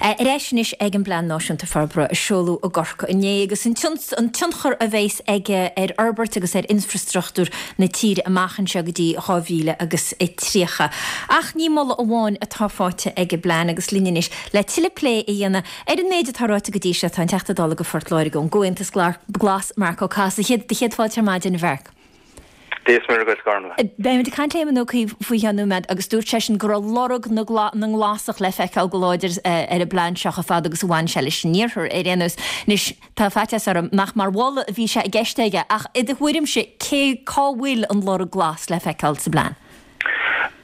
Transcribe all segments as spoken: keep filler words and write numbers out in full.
Ar ais anois ag an bPlean Náisiúnta Forbartha a seoladh i gCorcaigh inné agus an tionchar a bheas aige ar fhorbairt agus ar infrastruchtúr na tíre amach anseo go dtí dhá mhíle agus tríocha. Ach ní moladh amháin atá faighte ag an bplean agus linn anois le tuilleadh plé a dhéanamh ar an méid atá ráite go dtí seo tá an Teachta Dála do Phort Láirge ón gComhaontas Glas, Marc Ó Cathasaigh. Céad fáilte ar maidin, a Mharc. Dia is Muire dhuit, Gormlaith. Beimid ag caint le Éamon Ó Cuív faoi cheann nóiméad agus dúirt seisean go raibh lorg na nGlasach le feiceáil go láidir ar an bplean seo chomh fada agus a bhain sé leis an iarthar ar aon nós. Anois, tá faitíos orm nach mar mholadh a bhí sé i gceist aige ach i do thuairimse cé cá bhfuil an lorg glas le feiceáil sa bplean?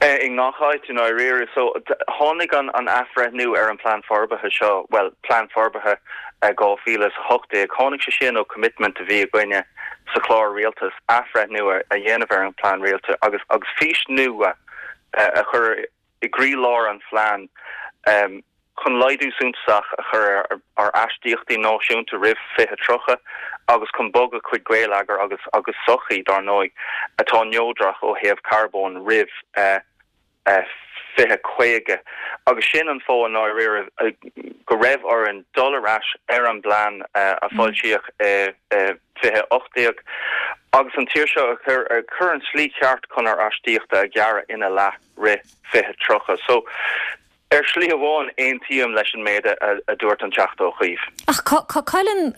I ngach áit i ndáiríre. So, tháinig an an athbhreithniú ar an plean forbartha seo, bhuel, plean forbartha dhá mhíle is a hocht déag, tháinig sé sin ó commitment a bhí againne sa chlár rialtais athbhreithniú a dhéanamh ar an bplean rialtais agus agus fís nua a chur i gcroílár an phlean chun laghdú suntasach a chur ar ár astaíochtaí náisiúnta roimh fiche tríocha agus chun bogadh chuig geilleagar agus agus sochaí, dar ndóigh, atá neodrach ó thaobh carbóin roimh fiche caoga. Agus sin an fáth i ndáiríre go raibh orainn dul ar ais ar an bplean a foilsíodh i fiche ocht déag agus an tír seo a chur ar an tslí cheart chun ár astaíochtaí a ghearradh ina leath roimh fiche tríocha. So, ar shlí amháin, aontaím leis an méid a dúirt an Teachta Ó Cuív. Ach cá bhfuil an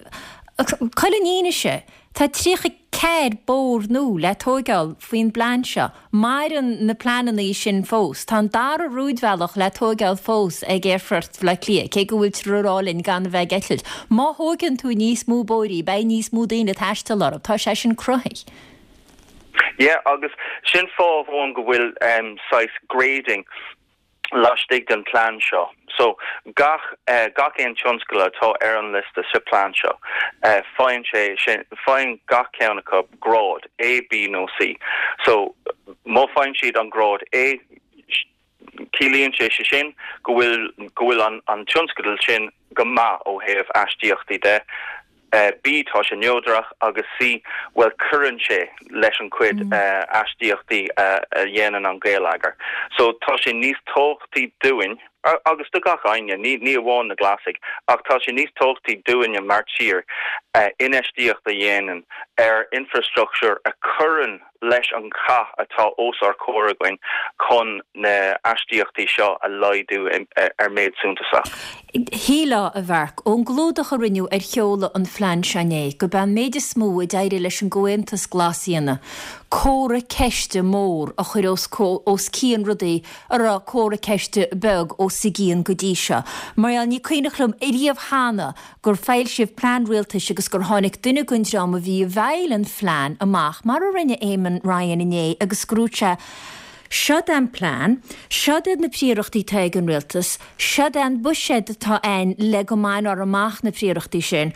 fhianaise? Tá tríocha ceathair bóthar nua le tóigeáil faoin bplean seo. Maireann na pleananna sin fós. Tá an dara rúidbhealach le tóigeáil fós ag Aerfort Bhaile Átha Cliath, cé go bhfuiltear ag rá linn gan a bheith ag eitilt. Má thóigeann tú níos mó bóithrí, beidh níos mó daoine ag taisteal orthu. Tá sé sin cruthaithe. Yeah, agus sin fáth amháin go bhfuil saghas grading laistigh den plean seo. So gach gach aon tionscal atá ar an liosta sa plean seo, faigheann sé sin, faigheann gach ceann acu grád A, B nó C. So má faigheann siad an grád A, ciallaíonn sé sé sin go bhfuil go bhfuil an an tionscadal sin go maith ó thaobh astaíochtaí de. B, tá sé neodrach agus C, bhuel cuireann sé leis an chuid astaíochtaí a dhéanann an geilleagar. So tá sé níos tábhachtaí dúinn, agus do gach éinne, ní ní amháin na Glasaigh, ach tá sé níos tábhachtaí dúinne mar tír infheistíocht a dhéanamh ar infrastructure a chuireann leis an chath atá os ár comhair againn chun na astaíochtaí seo a laghdú ar méid suntasach. Shílfeá, a Mharc, ón gclúdach a rinneadh ar sheoladh an phlean seo inné, gurb é an méid is mó a d'éirigh leis an gComhaontas Glas a dhéanamh, comhartha ceiste mór a chur os os cionn rudaí a raibh comhartha ceiste beag os a gcionn go dtí seo. Mar gheall, ní cuimhneach liom ariamh cheana gur foilsíodh plean rialtais agus gur tháinig duine den dream a bhí i bhfeighil an phlean amach, mar a rinne Eamon Ryan inné, agus go ndúirt sé, Seod é an plean, seod iad na príorachtaí atá ag an rialtas, seod é an buiséad atá ann le go mbainfear amach na príorachtaí sin,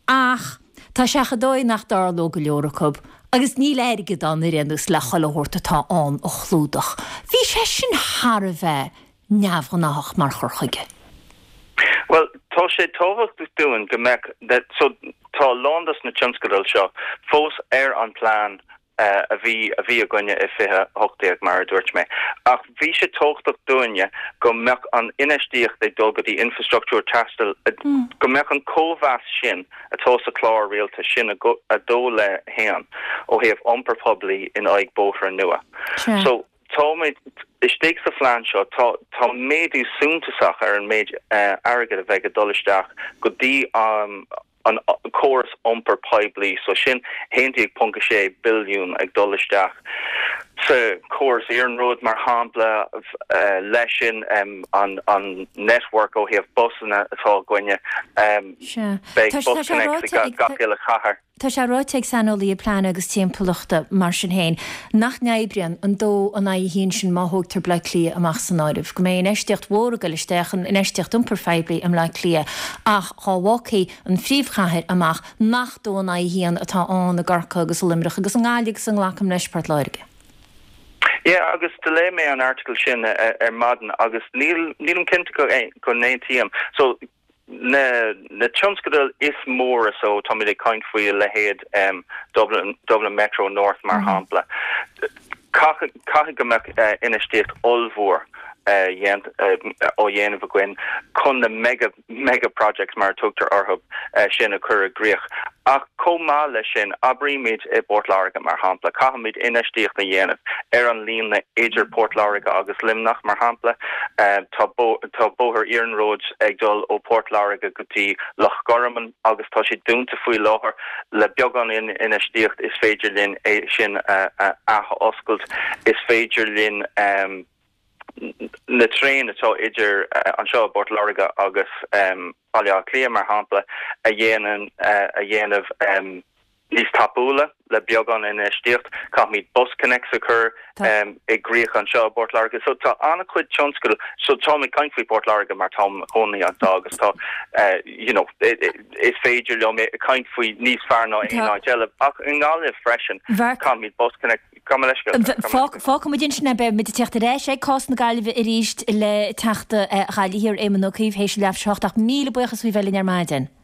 ach tá sé chomh dóigh nach dtarlóidh go leor acu agus níl airgead ann ar aon nós le chuile shórt atá ann a chlúdach. Bhí sé sin thar a bheith neamhghnáthach mar chur chuige. Bhuel, tá sé tábhachtach dúinn go mbeadh, so tá a lán dos na tionscadail seo fós ar an plean a bhí a bhí againne i fiche a hocht déag mar a dúirt mé. Ach bhí sé tábhachtach dúinne go mbeadh an infheistíocht ag dul go dtí infrastruchtúr taistil, go mbeadh an cóimheas sin atá sa chlár rialtais sin a dó le haon ó thaobh iompar poiblí in aghaidh bóithre nua. So táimid istigh sa phlean seo, tá tá méadú suntasach ar an méid airgid a bheidh ag dul isteach go dtí an an córas iompair poiblí, so sin haon déag ponc a sé billiún ag dul isteach sa chóras iarnróid mar shampla, leis sin an an network ó thaobh busanna atá againne, beidh BusConnects i gach uile chathair. Tá sé ráite ag saineolaithe pleanála agus timpeallachta, mar sin féin, nach n-oibríonn an dó in aghaidh a haon sin má thógtar Bleá Cliath amach san áireamh, go mbeidh infheistíocht mhór ag dul isteach in infheistíocht iompair phoiblí i mBleá Cliath ach dhá bhfágfaí an phríomhchathair amach nach dó in aghaidh a haon atá ann i gCorcaigh agus i Luimneach agus i nGaillimh agus i nglacaim leis Port Láirge. Yeah, agus do léigh mé an article sin ar maidin agus níl nílim cinnte go go n-aontaím. So na na tionscadail is móra so táimid ag caint faoi a leithéid Dublin Dublin Metro North mar shampla. Caithfidh caithfidh go mbeadh infheistíocht ollmhór á dhéanamh againn chun na mega mega projects mar tugtar orthu sin a chur i gcrích. Ach chomh maith leis sin oibrímid i bPort Láirge mar shampla, caithfimid infheistíocht a dhéanamh ar an líne idir Port Láirge agus Luimneach mar shampla tá tá bóthar iarnróid ag dul ó Port Láirge go dtí Loch Garman agus tá sé dúnta faoi láthair le beagán infheistíocht is féidir linn é sin a athoscailt is féidir linn um, na traein atá idir uh, anseo Port Láirge agus um, Baile Átha Cliath mar shampla a dhéanamh uh, a dhéanamh um, níos tapúla le beagán infheistíocht caithfimid BusConnects a chur um, i gcrích anseo Port Láirge so tá an-chuid tionscadal so tá mé caint faoi Port Láirge mar táim i mo chónaí anseo agus tá uh, you know, is féidir liom caint faoi níos fearr ná aon áit eile ach i nGaillimh freisin caithfimid BusConnect Fágfaimid ansin beimid ag teacht ar ais ag cás na Gaillimhe arís le Teachta Gaillimhe Éamon Ó Cuív théis leathuair tar éis a hocht ach míle buíochas faoi bheith linn ar maidin.